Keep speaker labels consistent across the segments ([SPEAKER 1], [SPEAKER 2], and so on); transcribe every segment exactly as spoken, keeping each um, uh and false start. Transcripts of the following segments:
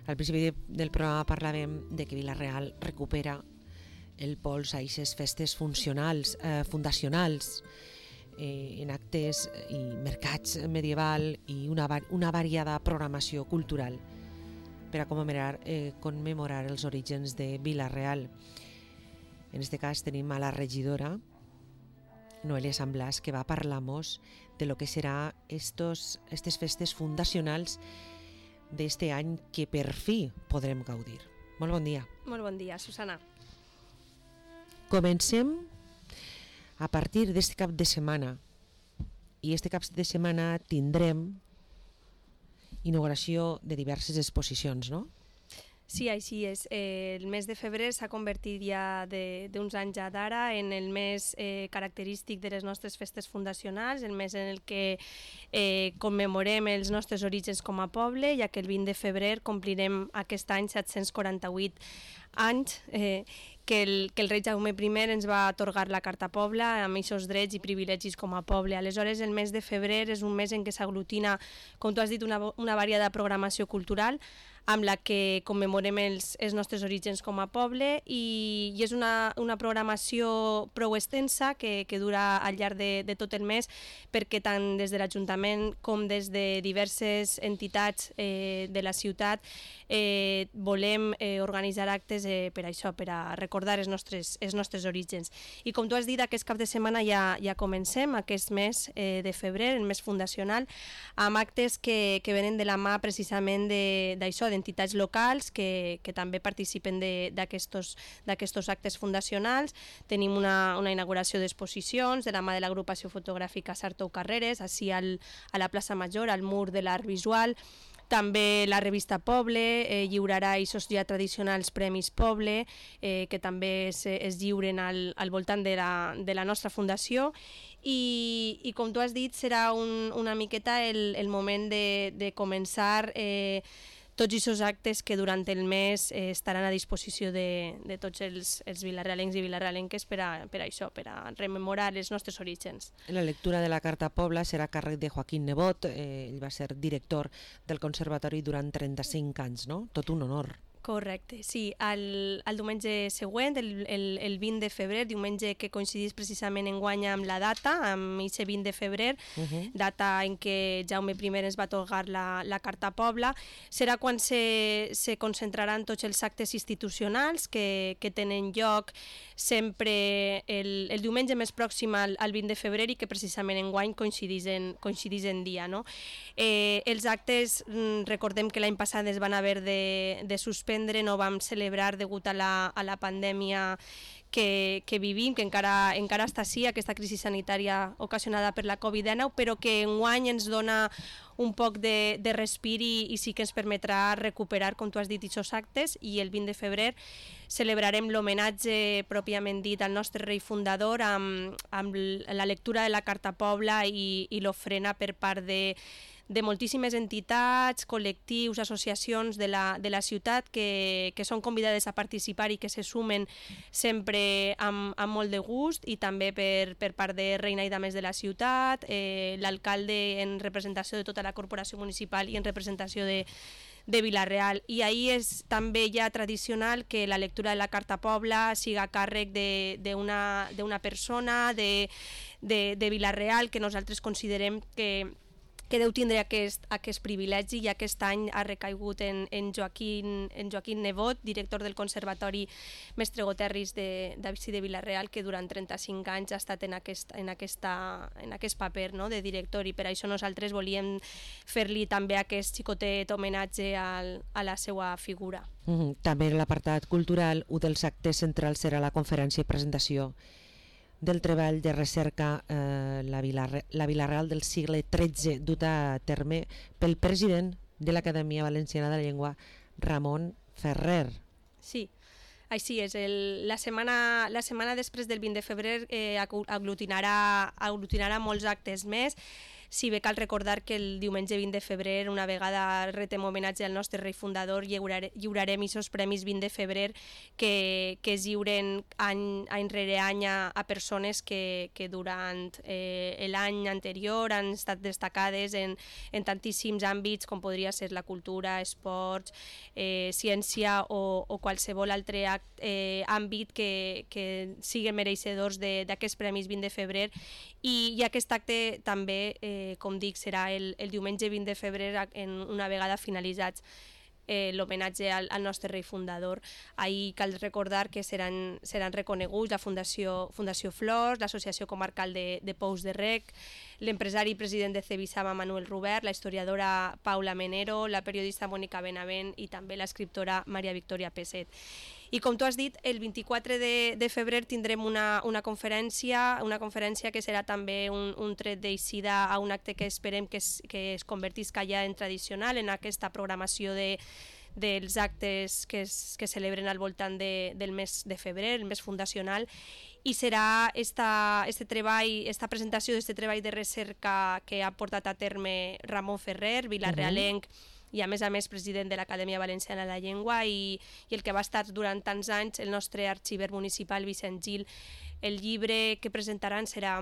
[SPEAKER 1] Al principi del programa parlàvem de que Vila-real recupera el pols a aquestes festes funcionals, eh, fundacionals, eh, en actes i mercats medieval i una, una variada programació cultural per a commemorar, eh, commemorar els orígens de Vila-real. En este cas tenim a la regidora Noelia San Blas, que va a parlar-nos de lo que serà estos, estes festes fundacionals d'este any que per fi podrem gaudir. Molt bon dia.
[SPEAKER 2] Molt bon dia, Susana.
[SPEAKER 1] Comencem a partir d'este cap de setmana, i este cap de setmana tindrem inauguració de diverses exposicions, no?
[SPEAKER 2] Sí, així és. Eh, el mes de febrer s'ha convertit ja d'uns anys ja d'ara en el mes eh, característic de les nostres festes fundacionals, el mes en el que eh, commemorem els nostres orígens com a poble, ja que el vint de febrer complirem aquest any set-cents quaranta-vuit anys eh, que, el, que el rei Jaume primer ens va atorgar la Carta Pobla amb aquests drets i privilegis com a poble. Aleshores, el mes de febrer és un mes en què s'aglutina, com tu has dit, una, una variada programació cultural amb la que commemorem els, els nostres orígens com a poble i, i és una, una programació prou extensa que, que dura al llarg de, de tot el mes, perquè tant des de l'Ajuntament com des de diverses entitats eh, de la ciutat eh, volem eh, organitzar actes eh, per això, per a recordar els nostres, els nostres orígens. I com tu has dit, aquest cap de setmana ja, ja comencem aquest mes eh, de febrer, el mes fundacional, amb actes que, que venen de la mà precisament d'això, d'entitats locals que, que també participen d'aquests actes fundacionals. Tenim una, una inauguració d'exposicions de la mà de l'agrupació fotogràfica Sartou Carreres, així al, a la plaça Major, al mur de l'art visual. També la revista Poble eh, lliurarà aquests ja tradicionals Premis Poble, eh, que també es, es lliuren al, al voltant de la, de la nostra fundació. I, i com tu has dit, serà un, una miqueta el, el moment de, de començar eh, tots aquests actes que durant el mes eh, estaran a disposició de, de tots els, els vilarealencs i vilarealenques per a, per a això, per a rememorar els nostres orígens.
[SPEAKER 1] La lectura de la Carta Pobla serà a càrrec de Joaquín Nebot, eh, ell va ser director del Conservatori durant trenta-cinc anys, no? Tot un honor.
[SPEAKER 2] Correcte, sí. El, el diumenge següent, el, el, el vint de febrer, diumenge que coincidís precisament enguany amb la data, amb aquest vint de febrer, uh -huh. data en què Jaume primer ens va atorgar la, la Carta Pobla, serà quan se, se concentraran tots els actes institucionals que, que tenen lloc sempre el, el diumenge més pròxim al, al vint de febrer i que precisament enguany coincidís en, coincidís en dia. No? Eh, els actes, recordem que l'any passat es van haver de, de suspendre, no vam celebrar degut a la, a la pandèmia que, que vivim, que encara, encara està així, aquesta crisi sanitària ocasionada per la covid dinou, però que enguany ens dona un poc de, de respir i, i sí que ens permetrà recuperar, com tu has dit, aquests actes, i el vint de febrer celebrarem l'homenatge pròpiament dit al nostre rei fundador amb, amb la lectura de la Carta Pobla i, i l'ofrena per part de de moltíssimes entitats, col·lectius, associacions de la, de la ciutat que, que són convidades a participar i que se sumen sempre amb, amb molt de gust, i també per, per part de Reina i Dames de la ciutat, eh, l'alcalde en representació de tota la corporació municipal i en representació de, de Vila-real. I ahir és també ja tradicional que la lectura de la Carta Pobla siga a càrrec d'una d'una persona de, de, de Vila-real que nosaltres considerem que que deu tindre aquest, aquest privilegi, i aquest any ha recaigut en, en, Joaquín, en Joaquín Nebot, director del Conservatori Mestre Goterris de, de, de Vila-real, que durant trenta-cinc anys ha estat en aquest, en aquesta, en aquest paper, no?, de director, i per això nosaltres volíem fer-li també aquest xicotet homenatge al, a la seva figura.
[SPEAKER 1] Mm-hmm. També en l'apartat cultural, un dels actes centrals serà la conferència i presentació del treball de recerca eh, la, Vila, la Vila-real del segle tretze, duta a terme pel president de l'Acadèmia Valenciana de la Llengua, Ramon Ferrer.
[SPEAKER 2] Sí, així és. El, la, setmana, la setmana després del vint de febrer eh, aglutinarà, aglutinarà molts actes més. Si bé cal recordar que el diumenge vint de febrer, una vegada retem homenatge al nostre rei fundador, lliurare, lliurarem aquests premis vint de febrer que, que es lliuren any, any rere any a, a persones que, que durant eh, l'any anterior han estat destacades en, en tantíssims àmbits com podria ser la cultura, esports, eh, ciència o, o qualsevol altre act, eh, àmbit que, que siguin mereixedors d'aquests premis vint de febrer. I, i aquest acte també, eh, com dic, serà el, el diumenge vint de febrer, en una vegada finalitzats eh, l'homenatge al, al nostre rei fundador. Ahir cal recordar que seran, seran reconeguts la Fundació, Fundació Flors, l'Associació Comarcal de, de Pous de Rec, l'empresari i president de Cebisama Manuel Rubert, la historiadora Paula Menero, la periodista Mònica Benavent i també l'escriptora Maria Victòria Peset. I com tu has dit, el vint-i-quatre de, de febrer tindrem una, una conferència, una conferència que serà també un, un tret d'eixida a un acte que esperem que es, que es convertisca ja en tradicional en aquesta programació de, dels actes que es, que celebren al voltant de, del mes de febrer, el mes fundacional, i serà esta, este treball, esta presentació d'aquest treball de recerca que ha portat a terme Ramon Ferrer, vilarealenc, uh-huh. i a més a més president de l'Acadèmia Valenciana de la Llengua i, i el que va estar durant tants anys el nostre arxiver municipal Vicent Gil. El llibre que presentaran serà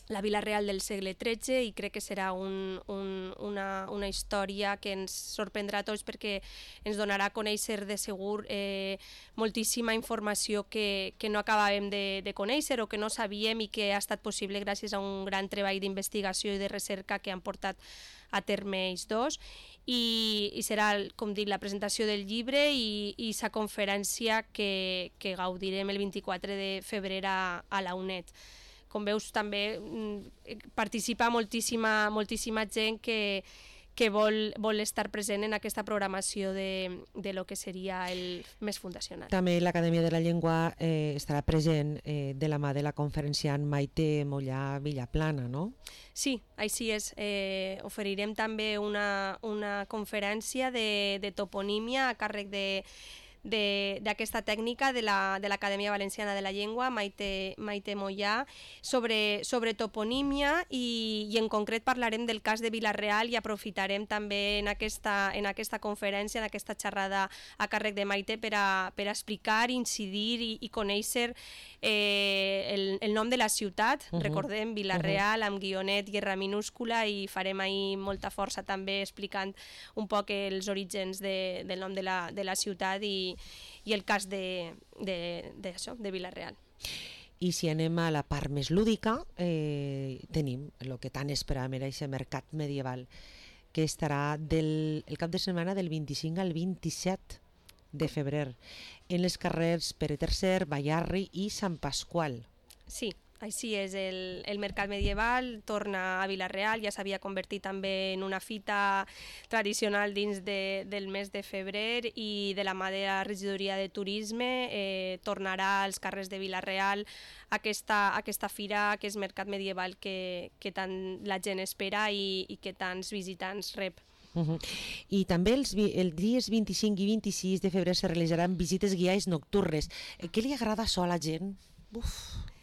[SPEAKER 2] La Vila Real del segle tretze i crec que serà un, un, una, una història que ens sorprendrà a tots perquè ens donarà a conèixer de segur eh, moltíssima informació que, que no acabàvem de, de conèixer o que no sabíem i que ha estat possible gràcies a un gran treball d'investigació i de recerca que han portat a terme ells dos. I, i serà, com dic, la presentació del llibre i, i sa conferència que, que gaudirem el vint-i-quatre de febrer a, a la UNED. Com veus, també participa moltíssima, moltíssima gent que, que vol, vol estar present en aquesta programació de, de lo que seria el mes fundacional.
[SPEAKER 1] També l'Acadèmia de la Llengua eh, estarà present eh, de la mà de la conferenciant Maite Mollà Villaplana, no?
[SPEAKER 2] Sí, així és. Eh, oferirem també una, una conferència de, de toponímia a càrrec de d'aquesta tècnica de l'Acadèmia Valenciana de la Llengua, Maite, Maite Mollà, sobre, sobre toponímia i, i en concret parlarem del cas de Vila-real i aprofitarem també en aquesta, en aquesta conferència, en aquesta xerrada a càrrec de Maite per a, per a explicar, incidir i, i conèixer eh, el, el nom de la ciutat. Uh-huh. Recordem, Vila-real, uh-huh. amb guionet i erra minúscula, i farem ahir molta força també explicant un poc els orígens de, del nom de la, de la ciutat i i el cas de, de, de, això, de Vila-real.
[SPEAKER 1] I si anem a la part més lúdica, eh, tenim el que tant esperàvem, era aquest mercat medieval, que estarà del, el cap de setmana del vint-i-cinc al vint-i-set de febrer, en les carrers Pere tercer, Bayarri i Sant Pasqual.
[SPEAKER 2] Sí. Així és, el, el mercat medieval torna a Vila-real, ja s'havia convertit també en una fita tradicional dins de, del mes de febrer i de la mà de la regidoria de turisme eh, tornarà als carrers de Vila-real aquesta, aquesta fira, aquest mercat medieval que, que tant la gent espera i, i que tants visitants rep.
[SPEAKER 1] Uh-huh. I també els, els dies vint-i-cinc i vint-i-sis de febrer se realitzaran visites guiades nocturnes. Què li agrada això a la gent? Uf,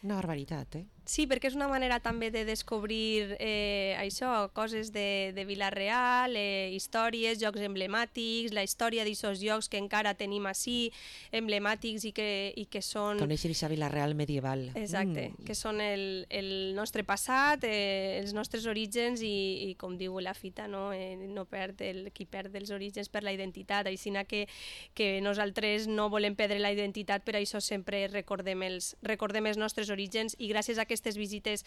[SPEAKER 1] una barbaritat, eh?
[SPEAKER 2] Sí, perquè és una manera també de descobrir eh, això, coses de, de Vila-real, eh, històries, jocs emblemàtics, la història d'aquests llocs que encara tenim així, emblemàtics i que, i que són...
[SPEAKER 1] Conèixer aquesta Vila-real medieval.
[SPEAKER 2] Exacte, mm. que són el, el nostre passat, eh, els nostres orígens i, i com diu la fita, no, eh, no perd el, qui perd els orígens per la identitat, així que, que nosaltres no volem perdre la identitat, per això sempre recordem els, recordem els nostres orígens i gràcies a aquestes visites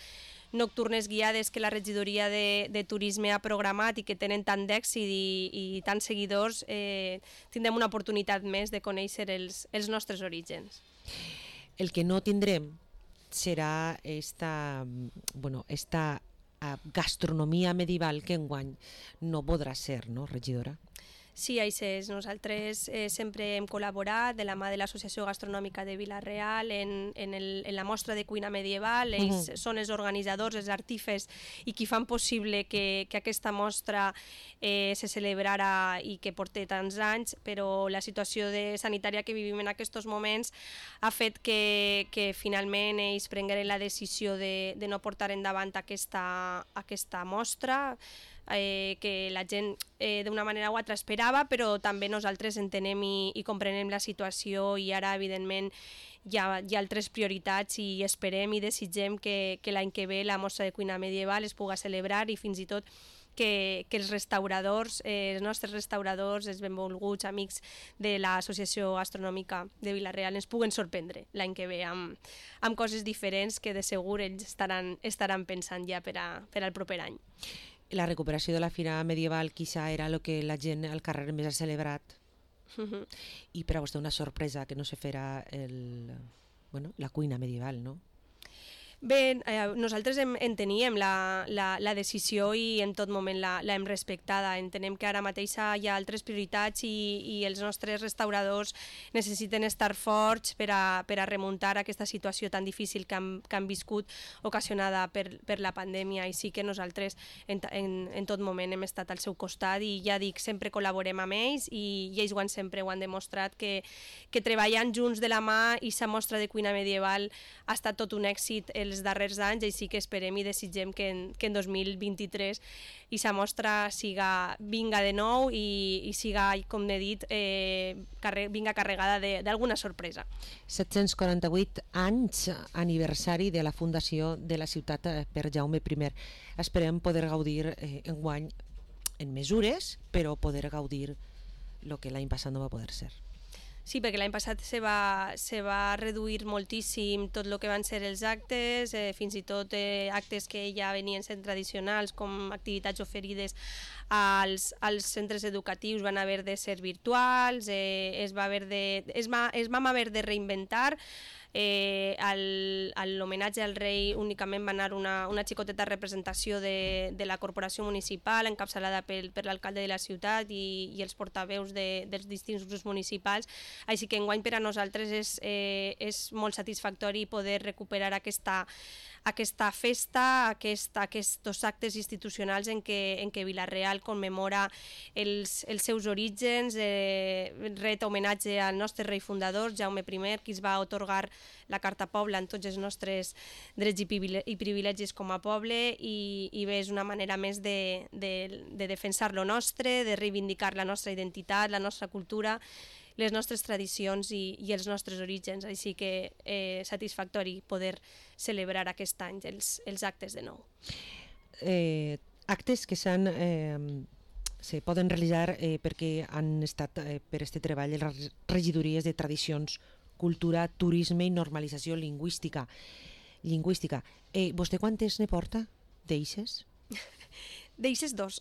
[SPEAKER 2] nocturnes guiades que la regidoria de, de turisme ha programat i que tenen tant d'èxit i, i tants seguidors, eh, tindrem una oportunitat més de conèixer els, els nostres orígens.
[SPEAKER 1] El que no tindrem serà esta, bueno, esta gastronomia medieval que enguany no podrà ser, no, regidora?
[SPEAKER 2] Sí, això és. Nosaltres eh, sempre hem col·laborat de la mà de l'Associació Gastronòmica de Vila-real en, en, el, en la mostra de cuina medieval. Ells uh -huh. són els organitzadors, els artífers i qui fan possible que, que aquesta mostra eh, se celebrara i que porti tants anys, però la situació de sanitària que vivim en aquests moments ha fet que, que finalment ells prengueren la decisió de, de no portar endavant aquesta, aquesta mostra, Eh, que la gent eh, d'una manera o altra esperava, però també nosaltres entenem i, i comprenem la situació i ara evidentment hi ha, hi ha altres prioritats i esperem i desitgem que, que l'any que ve la mostra de cuina medieval es puga celebrar i fins i tot que, que els restauradors, eh, els nostres restauradors, els benvolguts amics de l'Associació Gastronòmica de Vila-real ens puguen sorprendre l'any que ve amb, amb coses diferents que de segur ells estaran, estaran pensant ja per, a, per al proper any.
[SPEAKER 1] La recuperació de la fira medieval quizá era el que la gent al carrer més ha celebrat uh-huh. i per a vostè una sorpresa que no se fera el, bueno, la cuina medieval, no?
[SPEAKER 2] Bé, eh, nosaltres en, en teníem la, la, la decisió i en tot moment l'hem respectada. Entenem que ara mateix hi ha altres prioritats i, i els nostres restauradors necessiten estar forts per a, per a remuntar aquesta situació tan difícil que han, que han viscut ocasionada per, per la pandèmia, i sí que nosaltres en, en, en tot moment hem estat al seu costat i ja dic, sempre col·laborem amb ells i, i ells ho han, sempre ho han demostrat que, que treballant junts de la mà i sa mostra de cuina medieval ha estat tot un èxit els darrers anys, i sí que esperem i desitgem que en, que en dos mil vint-i-tres i sa mostra siga, vinga de nou i, i siga, com he dit, eh, carre, vinga carregada d'alguna sorpresa.
[SPEAKER 1] set-cents quaranta-vuit anys aniversari de la fundació de la ciutat per Jaume primer. Esperem poder gaudir eh, enguany en mesures, però poder gaudir el que l'any passat no va poder ser.
[SPEAKER 2] Sí, perquè l'any passat se va, se va reduir moltíssim tot el que van ser els actes, eh, fins i tot eh, actes que ja venien sent tradicionals, com activitats oferides als, als centres educatius van haver de ser virtuals, eh, es, va haver de, es, va, es vam haver de reinventar. Eh, a l'homenatge al rei únicament va anar una, una xicoteta representació de, de la corporació municipal encapçalada per, per l'alcalde de la ciutat i, i els portaveus de, dels distints grups municipals, així que enguany per a nosaltres és, eh, és molt satisfactori poder recuperar aquesta aquesta festa, aquest, aquests actes institucionals en què, en què Vila-real commemora els, els seus orígens, eh, ret homenatge al nostre rei fundador, Jaume primer, qui es va atorgar la Carta Poble en tots els nostres drets i privilegis com a poble, i, i bé, és una manera més de, de, de defensar lo nostre, de reivindicar la nostra identitat, la nostra cultura, les nostres tradicions i, i els nostres orígens, així que eh, satisfactori poder celebrar aquest any els, els actes de nou.
[SPEAKER 1] Eh, actes que s'han eh, se poden realitzar eh, perquè han estat eh, per este treball les regidories de tradicions, cultura, turisme i normalització lingüística. lingüística. Eh, vostè quantes ne porta d'eixes?
[SPEAKER 2] D'eixes dos,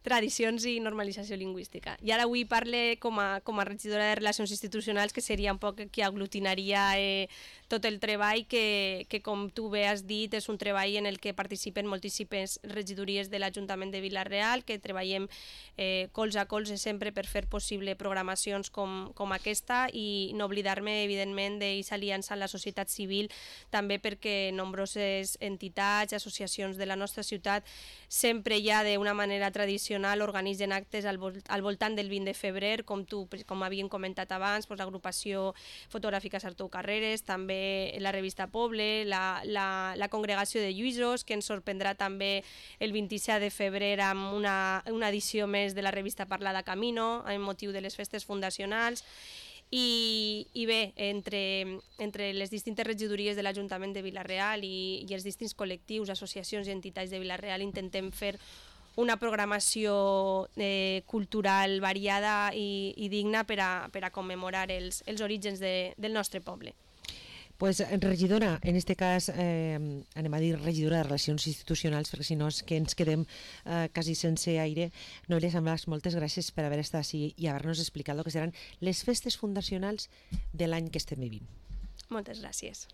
[SPEAKER 2] tradicions i normalització lingüística. I ara avui parle com a, com a regidora de Relacions Institucionals, que seria un poc qui aglutinaria eh, tot el treball que, que, com tu bé has dit, és un treball en el que participen moltíssimes regidories de l'Ajuntament de Vila-real, que treballem eh, colze a colze sempre per fer possible programacions com, com aquesta, i no oblidar-me, evidentment, d'aquesta aliança amb la societat civil, també perquè nombroses entitats, associacions de la nostra ciutat sempre ja d'una manera tradicional organitzen actes al, vol al voltant del vint de febrer, com tu, com havíem comentat abans, doncs, l'agrupació fotogràfica Sartou Carreres, també la revista Poble, la, la, la congregació de Lluïsos, que ens sorprendrà també el vint-i-set de febrer amb una, una edició més de la revista Parlada Camino, amb motiu de les festes fundacionals. I, i bé, entre, entre les distintes regidories de l'Ajuntament de Vila-real i, i els distints col·lectius, associacions i entitats de Vila-real intentem fer una programació eh, cultural variada i, i digna per a, per a commemorar els, els orígens de, del nostre poble.
[SPEAKER 1] Pues regidora, en este cas eh, anem a dir regidora de Relacions Institucionals, perquè si no és que ens quedem eh, quasi sense aire. Noelia Samblas, moltes gràcies per haver estat així i haver-nos explicat el que seran les festes fundacionals de l'any que estem vivint.
[SPEAKER 2] Moltes gràcies.